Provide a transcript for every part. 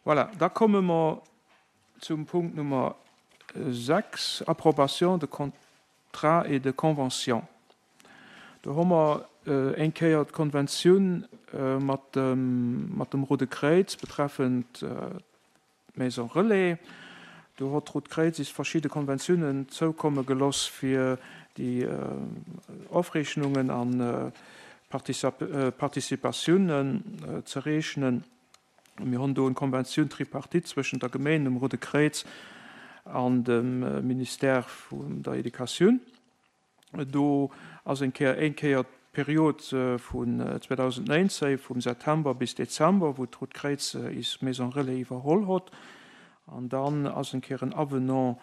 Voilà, da komme mer zum Punkt Nummer 6, Approbation de contrats et de conventions. Do hu mer eng Kéier d'Konventioun mat dem Roude Kréiz betreffend d'Maison Relais. Do hott d'Rout Kréiz is verschidde Konventiounen zoukomme geloss fir déi Ofrechnungen an Participatiounen ze reechnen. Mir honn do en Konventioun tripartite zwëschent der Geméin, dem Roude Kréiz an dem Ministère vun der Educatioun. Do ass eng Kéier éng Kéier d'Period vun 2019, vum September bis Dezember, wou d'Rout Kréiz is Maison Relais iwwerholl hott. An dann ass eng Kéier en Avenant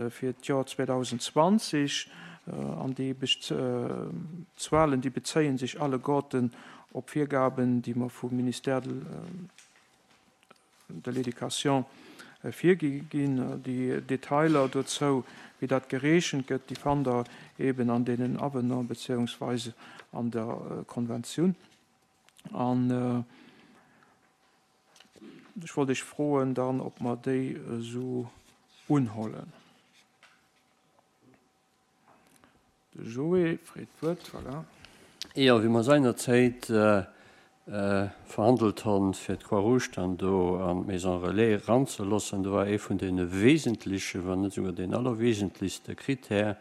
fir d'Joer 2020. An déi Zuelen, déi bezéie sech alleguerten op Virgaben, déi mer vum Ministère de l'Éducation virgi ginn. Déi Detailer dozou, wéi dat gereechent gëtt, déi fannt Der eeben an deenen Avenant beziéungsweise an der Konventioun. An ech wollt Iech froen dann, ob mer déi esou unhollen. De Joé freet d'Wuert, voilà. Jo, wéi mer seinerzäit verhandelt honn, fir d'Croix-Rouge dann do an d'Maison Relais eranzeloossen, do war ee vun deene wesentlechen, wann net esouguer deen allerwesentlechste Kritär,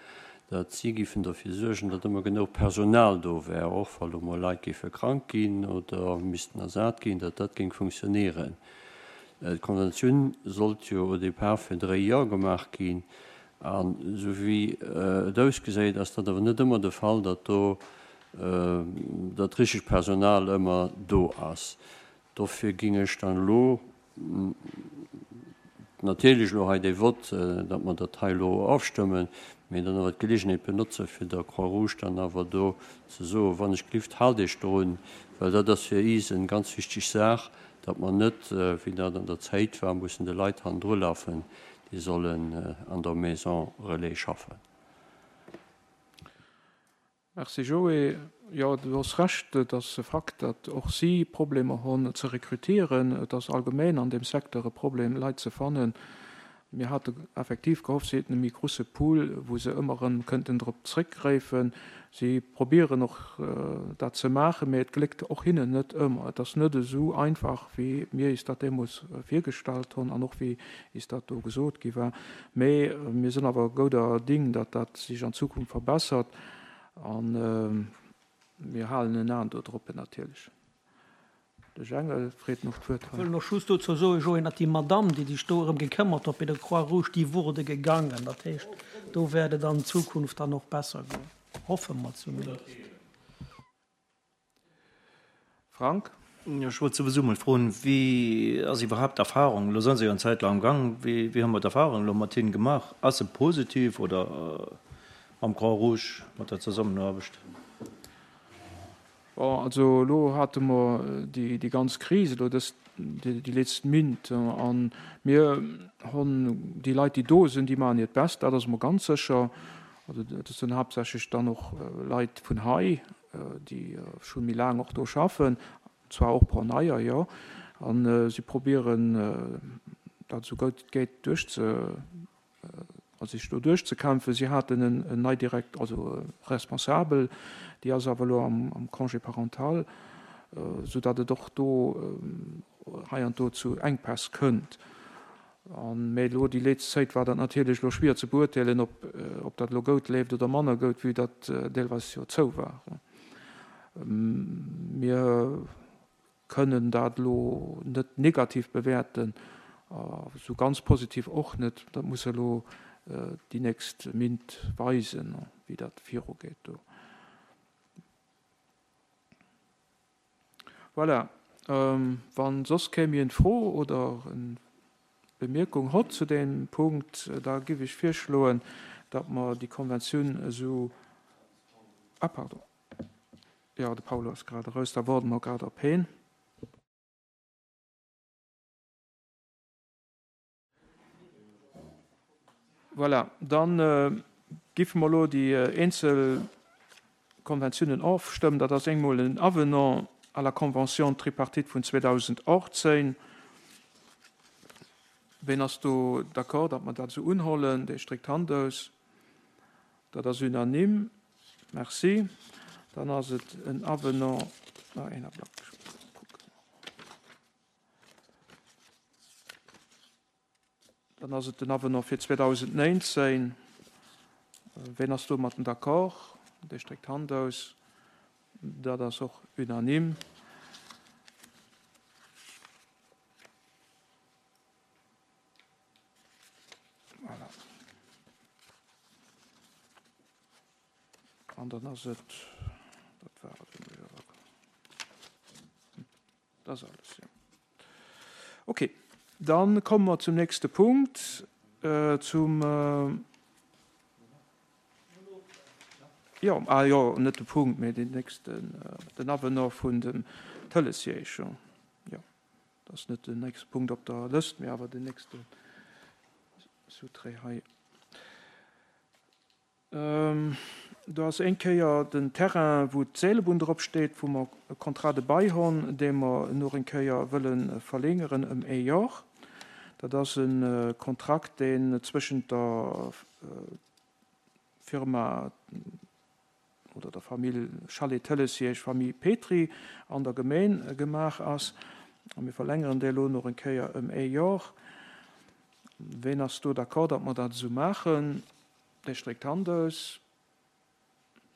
datt si giffen derfir suergen, datt ëmmer genuch Personal do wär, och wa lo mol Leit géife krank ginn oder missten ersat ginn, datt dat géing funktionieren. D'Konventioun sollt jo au départ fir dréi Joer gemaach ginn. An esou wéi et ausgesäit, ass dat awer net ëmmer de Fall, datt do dat richtegt Personal ëmmer do ass. Dofir géing ech dann elo natierlech elo hei dee Vott, datt mer dat hei elo ofstëmmen, mee dann awer d'Gelegenheet benotze fir der Croix-Rouge dann awer do ze soen, wann ech gelift, haalt Iech drun, well dat ass fir is eng ganz wichteg Saach, datt mer net, wéi dat an der Zäit war, mussen de Leit hannendru lafen, déi sollen an der Maison Relais schaffen. Merci Joé. Jo, du hues Recht, et ass e Fakt, datt och si Problemer hunn ze rekrutieren. Et ass allgemeng an deem Secteur e Problem, Leit ze fannen. Mir hate effektiv gehofft, si hätten e méi grusse Pool, wou se ëmmer erëm kënnten drop zréckgräifen. Si probieren och dat ze maachen, mä et gléckt och hinnen net ëmmer. Et ass net esou einfach, wéi mir is dat deemools virgestallt hunn an och wéi is dat do gesot gi war. Mä mir sinn awer gouder Ding, datt dat sech an Zukunft verbessert a mir halen en Aen dodroppen natierlech. De Jengel freet nach d'Wuert hei. Ech wëll nach just dozou soen, Joé, datt déi Madamm, déi sech do erëm gekëmmert huet bei der Croix-Rouge, déi wurde gegangen. Dat heescht, do wäert et an Zukunft dann och besser goen, hoffe mer zumindest. Frank? Jo, ech wollt souwisou mol froen, wéi ass iwwerhaapt d'Erfahrung, elo sinn se jo eng Zäit lang am Gang, wéi wéi hu mer d'Erfahrung elo mat hinnen gemaach? Ass se positiv oder mam Croix-Rouge, mat der Zesammenaarbecht? Bon, also elo hate mer déi ganz Kris elo dës, déi letzt Mint, a mir hunn déi Leit, déi do sinn, déi maachen hiert Best, dat ass emol ganz sécher. Also dat sinn haaptsächlech dann och Leit vun hei, déi scho méi laang och do schaffen, zwar och e puer neier, jo, a si probieren dat esou gutt et geet duerchze a sech do duerchzekämpfen. Si haten en nei Direkt, also Responsabel, déi ass awer elo am Congé parental, soudatt et och do hei an do zu Enkpäss kënnt. Mä elo déi leetzt Zäit war dat natierlech elo schwier ze beurteelen, ob dat elo goud leeft oder manner goud, vue datt deelweis jo zou war. Mir Kënnen dat elo net negativ bewäerten, esou ganz positiv och net. Dat muss elo déi nächst Mint weisen, wéi dat virugeet do. Voilà, wa soss kee méi eng Fro oder eng Bemierkung hott zu deem Punkt, da giff ech virschloen, datt mer déi Konventioun esou, ah pardon. Jo, de Paulo ass grad eraus, da woarde mer grad op heen. Voilà, da giffe mer elo déi eenzel Konventiounen ofstëmmen. Dat ass eemol en Avenant à la Convention tripartite vun 2018. Ween ass do d'accord, datt mer dat esou unhollen? Dee stréckt d'Hand aus. Dat ass unanime. Merci. Dann ass et en Avenant. Ah, een Ablack, ech muss kucken. Dann ass et den Avenant fir 2019. Ween ass domatten d'accord? Dee stréckt d'Hand aus. Dat ass och unanime. Voilà. An dann ass et, dat war et. Dat ass alles, jo. Okay, dann komme mer zum nächste Punkt, zum, jo, ah jo, net de Punkt, mee deen nächsten, den Avenant vun dem Tëlessiège, jo. Jo, dat ass net den nächste Punkt op der Lëscht, mee awer den nächste Sous-trait hei. Do ass eng Kéier den Terrain, wou d'Seelebunn drop steet, wou mer e Contrat de bail honn, dee mer nach eng Kéier wëlle verlängeren ëm ee Jor. Dat ass e Kontrakt, deen zwëschent der Firma oder der Famill Chalet Tëlessiège, Famille Petry, an der Gemeen gemaach ass. A mir verlängeren dee elo nach eng Kéier ëm ee Jor. Ween ass do d'accord, datt mer dat esou maachen? Dee stréckt d'Hand aus.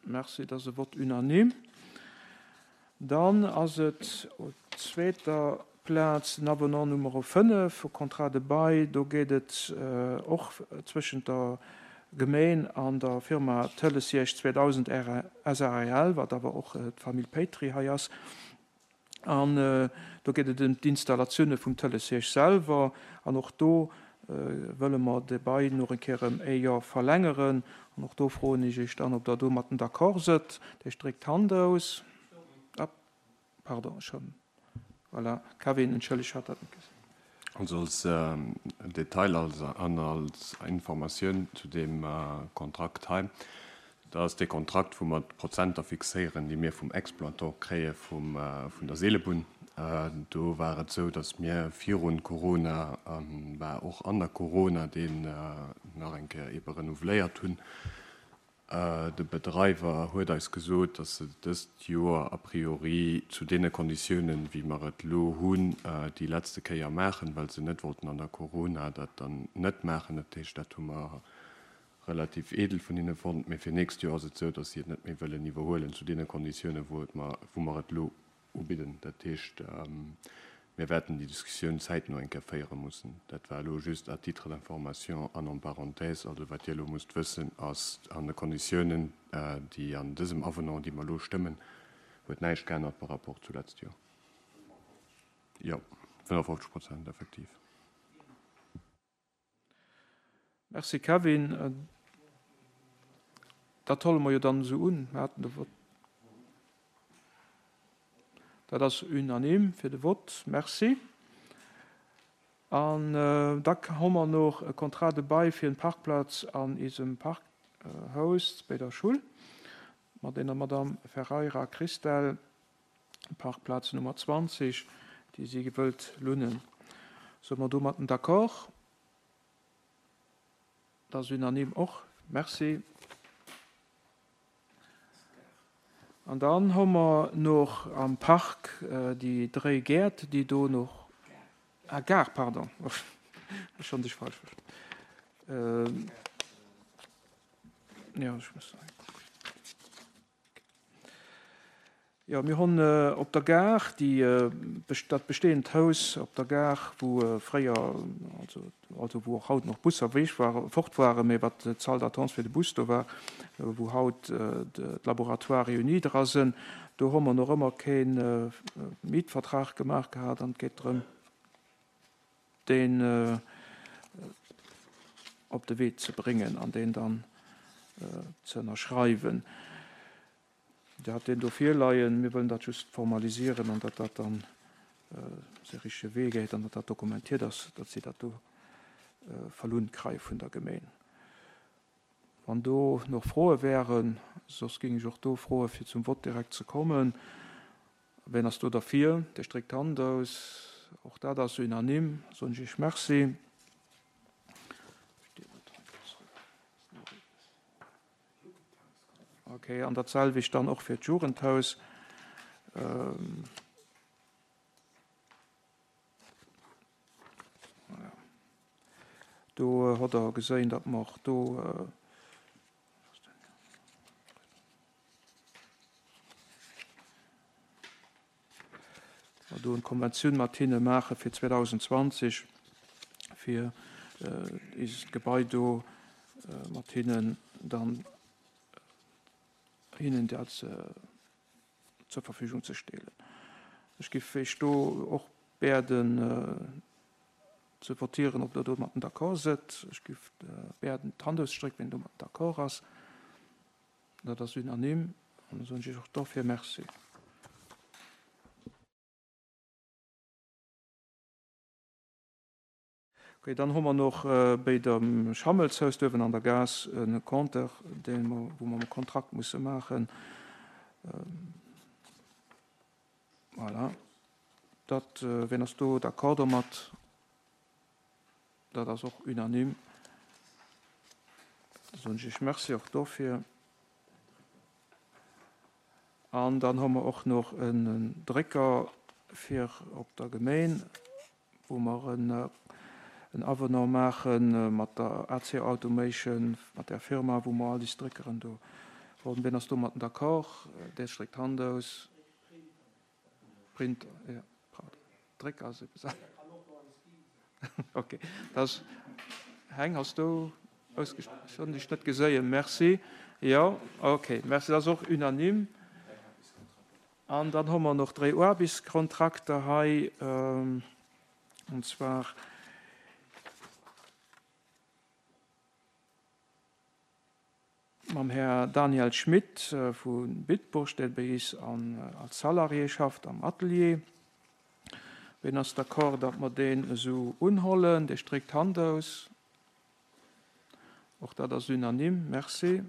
Merci, dat ass e Vote unanime. Dann ass et op zweeter Plaz den Avenant Numero 5 vu Contrat de bail. Do geet et och zwëschent der Gemeen an der Firma Tëlessiège 2000 SARL, wat awer och d'Famill Petry hei ass. An do geet et ëm d'Installatioune vum Tëlessiège selwer. An och do wëlle mer de Bail nach eng Kéier ëm ee Joer verlängeren. An och do froen ech Iech dann, ob Der domatten d'accord sëtt. Dir stréckt d'Hand aus. Ah, pardon, ech hunn, voilà, Kevin, entschëlleg, ech hat dat net gesinn. Also als Detail an als Informatioun zu deem Kontrakt hei, Dat ass dee Kontrakt, wou mer d'Prozenter fixéieren, déi mir vum Exploitant kréie vun der Seelebunn. Do war et esou, datt mir virun Corona a war och an der Corona deen nach eng Kéier eebe renouveléiert hunn. De Bedreiwer huet eis gesot, datt se dëst Joer a priori zu deene Konditiounen, wéi mer et elo hunn, déi letzte Kéier maachen, well se net wollten an der Corona dat dann net maachen. Dat heescht, dat hu mer relativ edel vun hinne fonnt, mee fir nächst Joer ass et esou, datt si et net méi wëllen iwwerhuelen zu deene Konditiounen, wou et mer, wou mer et elo ubidden. Dat heescht, mir wäerten déi Diskussioun zäitno eng Kéier féiere mussen. Dat war elo just à titre d'information an en parenthèse. Also wat Dir elo musst wëssen, ass, an de Konditiounen, déi an dësem Avenant, dee mer elo stëmmen, huet näischt geännert par rapport zu letzt Joer. Jo, 55 Prozent effektiv. Merci Kevin. Dat holle mer jo dann esou un. Mir haten de Vott. Dat ass unanime fir de Vott. Merci. An da hu mer noch e Contrat de bail fir en Parkplatz an isem Parkhaus béi der Schull mat eener Madame Ferreira Christelle. Parkplaz Nummer 20, déi si wëllt lunnen. Soe mer domatten d'accord? Dat ass unanime och. Merci. An dann hu mer nach am Park déi dréi Gäert, déi do nach, ah, Gare, pardon, ech hunn dech falsch verstanen. Jo, ech muss hei kucken. Jo, mir hunn op der Gare déi, dat bestehend Haus op der Gare, wou fréier, also, also wou och haut nach Busser wéi war, fort waren, mä wat d'Salle d'attente fir de Bus do war, wou haut d'Laboratoires réunis dra sinn, do hu mer nach ëmmer kee Mietvertrag gemaach gehat an et geet drëm, deen op de Wee ze bréngen an deen dann ze ënnerschreiwen. Dir hat deen do virleien. Mir wëllen dat just formalisieren an datt dat dann säi richtege Wee geet an datt dat dokumentiert ass, datt si dat do verlunn kreie vun der Gemeen. Wann do nach Froe wären, soss géing ech och do froe fir zum Vott direkt ze kommen. Ween ass do derfir? Dir stréckt d'Hand aus. Och dat ass unanime. Soen ech Iech Merci. Okay, an dat selwecht dann och fir d'Jugendhaus. Voilà. Do hott Der geséin, datt mer och do. Mer do eng Konventioun mat hinne maache fir 2020, fir eist Gebai do mat hinnen dann hinnen dat zur Verfügung ze stellen. Ech giff Iech do och bäerden ze votieren, ob Der domatten d'accord sëtt. Ech giff bäerden d'Hand ausstrécken, wien domatten d'accord ass. Dat ass unanime an da soen ech Iech och dofir Merci. Okay, dann hu mer nach béi dem Schammelshaus duerwen an der Gaass e Compteur, dee mer, wou mer e Kontrakt musse maachen. Voilà. Dat, wien ass do d'accord domat? Dat ass och unanime. Da soen ech Iech Merci och dofir. An dann hu mer och nach en Drécker fir op der Gemeen, wou mer en Avenant maache mat der AC Automation, mat där Firma, wou mer all déi Dréckeren do hunn. Wien ass domatten d'accord? Dee stréckt d'Hand aus. Printer, jo, pardon. Drécker ass eppes anescht. Ok, dat ass, Heng, has du ausgesprach? Ech hunn dech net geséien. Merci. Jo, ok, merci. Dat ass och unanime. An dann hu mer nach dréi Aarbechtskontrakter hei, an zwar. Mam Här Daniel Schmit vu Bitburg, dee bei is als Salarié schafft am Atelier. Ween ass d'accord, datt mer deen esou unhollen? Dee stréckt d'Hand aus. Och dat ass unanime. Merci.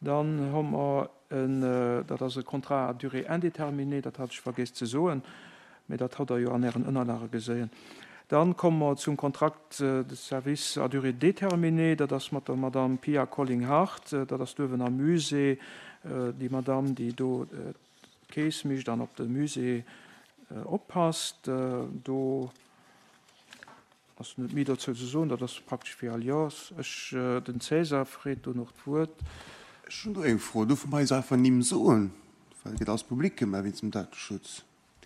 Dann hu mer en, dat ass e Contrat à durée indéterminée, dat hat ech vergiess ze soen, mee dat hat Der jo an Ären Ënnerlage geséien. Dann komme mer zum Contrat de service à durée déterminée. Dat ass mat der Madame Pia Colling-Hart. Dat ass duerwen am Musée, déi Madame, déi do d'Keess mécht an op de Musée oppasst. Do ass net méi dozou ze soen. Dat ass praktesch wéi all Joers. Ech, den César freet do nach d'Wuert. Ech hunn do eng Fro. Duerfe mer eis einfach Nimm soen? Well et gëtt alles public gemaach wéinst dem Dateschutz.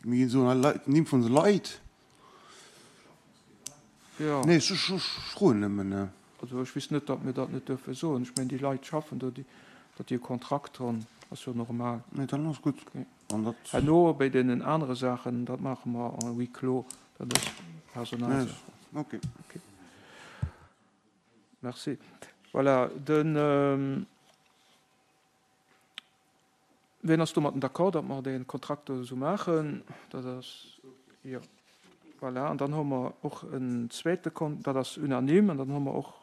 Mir ginn soen hei d'Nimm vun de Leit. Jo. Nee, ech froen nëmmen. Also ech weess net, datt mir dat net duerfe soen. Ech mengen, déi Leit schaffen do, datt déi e Kontrakt hunn, ass jo normal. Nee, dann ass gutt. An dat. Herno bei deenen anere Saachen, dat maache mer en huis clos, dat ass Personalsaach. Okay. Okay. Merci. Voilà, den. Wien ass domatten d'accord, datt mer dee Kontrakt do esou maachen? Dat ass, jo, voilà. An dann hu mer och en zweete Kon-, dat ass unanime. An dann hu mer och,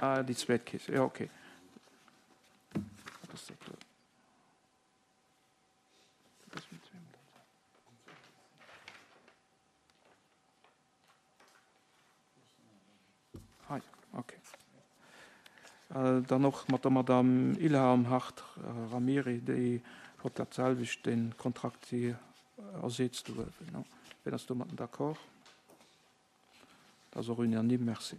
ah, déi zweet Keess, jo, okay. Wat ass dat do? Dat ass méi zweemol dat selwecht. Hei, okay. Dann och mat der Madame Ilham Hart-Ramiri, déi huet dat selwecht, dee Kontrakt, si ersetzt do uewen. Wien ass domatten d'accord? Dat ass och unanime. Merci.